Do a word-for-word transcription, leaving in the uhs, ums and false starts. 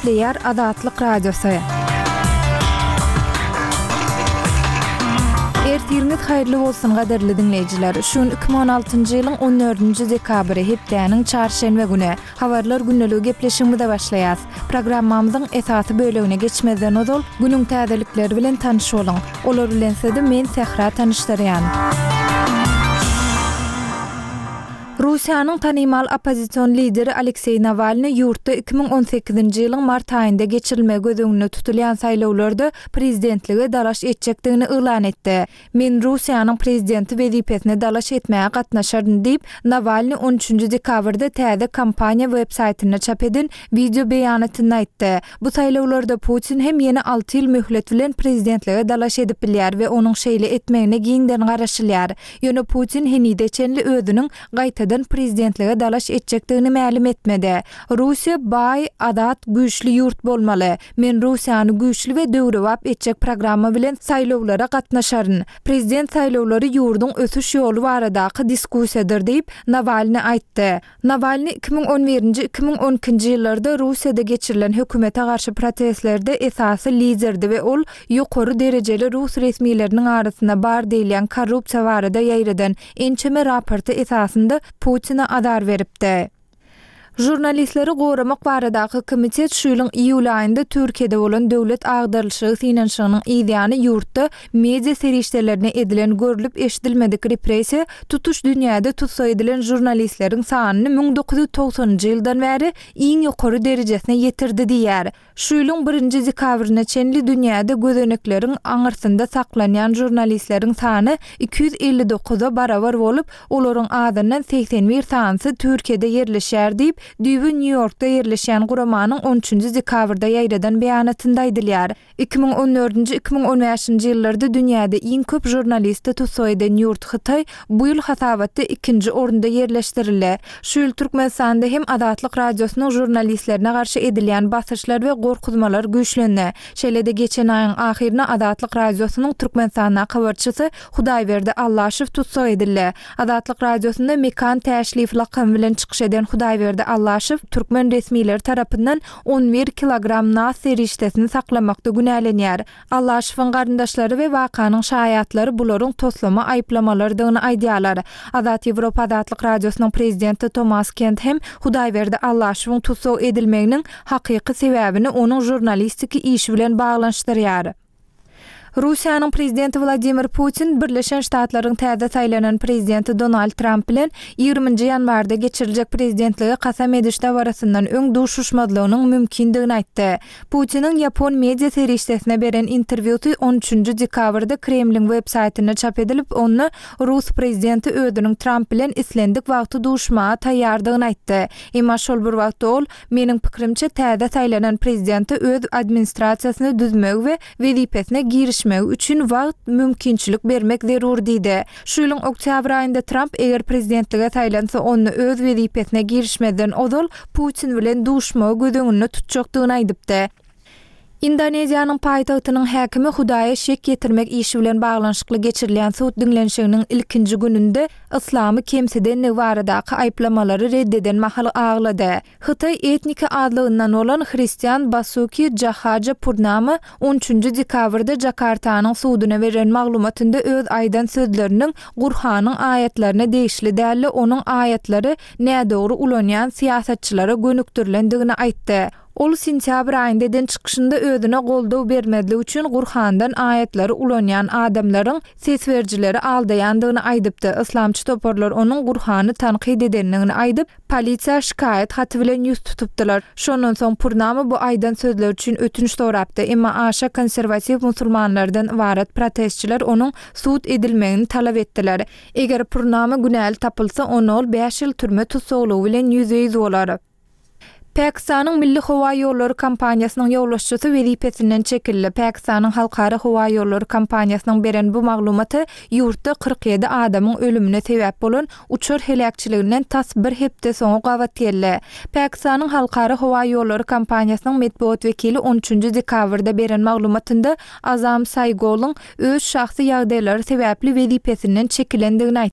Gepleýär Azatlyk Radiosy. Ertiriňiz haýyrly bolsun gadyrly diňleýjiler. Şu gün iki müň on altynjy ýylyň on dördünji dekabry, hepdäniň çarşenbe güni. Habarlar gündeligi gepleşigimize başlaýas. Programmamyzyň esasy bölegine geçmezden ozal, günüň täzelikleri bilen tanyş boluň. Olar bilen sizi men Sähra tanyşdyrýan. Russiýanyň tanymal oppozision lideri Alekseý Nawalnyý ýurtda iki müň on sekizinji ýylyň mart aýynda geçirilmegi göz öňünde tutulýan saýlawlarda prezidentlige dalaş etjekdigini yglan etdi. Men Russiýanyň prezidenti wezipesine dalaş etmäge gatnaşaryn diýip, Nawalnyý on üçünji dekabrda täze kampaniýa web-saýtynda çap eden wideo beýanatynda aýtdy. Bu saýlawlarda Putin hem ýene alty ýyl möhlet bilen prezidentlige dalaş edip bilýär we onuň şeýle etmegine giňden garaşylýar. Ýöne Putin henize çenli özüniň gaýtadan prezidentlige dalaş etjekdigini mälim etmedi. Russiýa baý, azat, güýçli ýurt bolmaly. Men Russiýany güýçli we döwrebap etjek programma bilen saýlawlara gatnaşaryn. Prezident saýlawlary ýurduň ösüş ýoly baradaky diskussiýadyr diýip, Nawalnyý aýtdy. Nawalnyý iki müň on birinji, iki müň on ikinji ýyllarda Russiýada geçirilen hökümete garşy protestlerde esasy liderdi we ol ýokary derejeli rus resmileriniň arasynda bar diýilýän korrupsiýa barada ýaýradan ençeme raporty esasynda Putine azar beripdi. Žurnalistleri goramak baradaky komitet şu ýylyň iýul aýynda Türkiýede bolan döwlet agdarylyşygy synanyşygynyň yzýany ýurtda media serişdelerine edilen görlüp-eşidilmedik repressiýa tutuş dünýäde tussag edilen žurnalistleriň sanyny müň dokuz ýüz togsanynjy ýyldan bäri iň ýokary derejesine ýetirdi diýýär. Şu ýylyň birinji dekabryna çenli dünýäde gözenekleriň aňyrsynda saklanýan žurnalistleriň sany iki ýüz elli dokuza barabar bolup, olaryň azyndan segsen bir sanysy Türkiýede ýerleşýär diýip, düýbi Nýu-Ýorkda ýerleşýän guramanyň on üçünji dekabrda ýaýradan beýanatynda aýdylýar. Iki müň on dördünji, iki müň on bäşinji ýyllarda dünýäde iň köp žurnalisti tussag eden ýurt Hytaý bu ýyl hasabatda ikinji orunda ýerleşdirildi. Şu ýyl Türkmenistanda hem Azatlyk Radiosynyň žurnalistlerine garşy edilýän basyşlar we gorkuzmalar güýçlendi. Şeýle-de geçen aýyň ahyrynda Azatlyk Radiosynyň Türkmenistandaky habarçysy Hudaýberdi Allaşow tussag edildi. Azatlyk Radiosynda Mekan Täşliýew lakamy bilen çykyş eden Hudaýberdi Allaşow türkmen resmileri tarapyndan on bir kilogram nas serişdesini saklamakda günälenýär. Allaşowyň garyndaşlary we wakanyň şaýatlary bularyň toslama aýyplamalarydygyny aýdýarlar. Azat Ýewropa Azatlyk Radiosynyň prezidenti Tomas Kent hem Hudaýberdi Allaşowyň tussag edilmeginiň hakyky sebäbini onuň žurnalistiki işi bilen baglanyşdyrýar. Russiýanyň prezidenti Wladimir Putin Birleşen Ştatlaryň täze saýlanan prezidenti Donald Tramp bilen ýigriminji ýanwarda geçiriljek prezidentlige kasam ediş dabarasyndan öň duşuşmazlygynyň mümkindigini aýtdy. Putiniň ýapon media serişdesine beren interwýusy on üçünji dekabrda Kremliň web-saýtynda çap edilip, onda rus prezidenti özüniň Tramp bilen islendik wagty duşmaga taýýardygyny aýtdy. Emma şol bir wagtda ol, Meniň pikirimçe, täze saýlanan prezidente öz administrasiýasyny düzmegi we wezipesine girişmegi üçin wagt, mümkinçilik bermek zerur diýdi. Şu ýylyň oktýabr aýynda Tramp eger prezidentlige saýlansa, onda öz wezipesine girişmezden ozal Putin bilen duşmagy göz öňünde tutjakdygyny aýdypdy. Indoneziýanyň paýtagtynyň häkimi Hudaýa şek ýetirmek işi bilen baglanyşykly geçirilýän sud diňlenişiginiň ilkinji gününde yslamy kemsidenligi baradaky aýyplamalary red eden mahaly aglady. Hytaý etniki azlygyndan bolan hristian Basuki Jahaja Purnama on üçünji dekabrda Jakartanyň suduna beren maglumatynda öz aýdan sözleriniň Gurhanyň aýatlaryna degişli däl-de, onuň aýatlary nädogry ulanýan syýasatçylara gönükdirilendigini aýtdy. Ol sentýabr aýynda eden çykyşynda özüne goldaw bermezlik üçin Gurhandan aýatlary ulanýan adamlaryň ses berijileri aldaýandygyny aýdypdy. Yslamçy toparlar onuň Gurhany tankyt edendigini aýdyp, polisiýa şikaýat haty bilen ýüz tutupdylar. Şondan soň Purnama bu aýdan sözleri üçin ötünç sorapdy. Emma aşa konserwatiw musulmanlardan ybarat protestçiler onuň sud edilmegini talap etdiler. Eger Purnama günäli tapylsa, onda ol bäş ýyl türme tussaglygy bilen ýüzbe-ýüz bolar. Pakistanyň Milli howa ýollary kompaniýasynyň ýolbaşçysy wezipesinden çekildi. Pakistanyň Halkara howa ýollary kompaniýasynyň beren bu maglumaty ýurtda kyrk ýedi adamyň ölümine sebäp bolan uçar heläkçiliginden tas bir hepde soňa gabat geldi. Pakistanyň Halkara howa ýollary kompaniýasynyň metbugat wekili on üçünji dekabrda beren maglumatynda Azam Saýgolyň öz şahsy ýagdaýlary sebäpli wezipesinden çekilendigini aýtdy.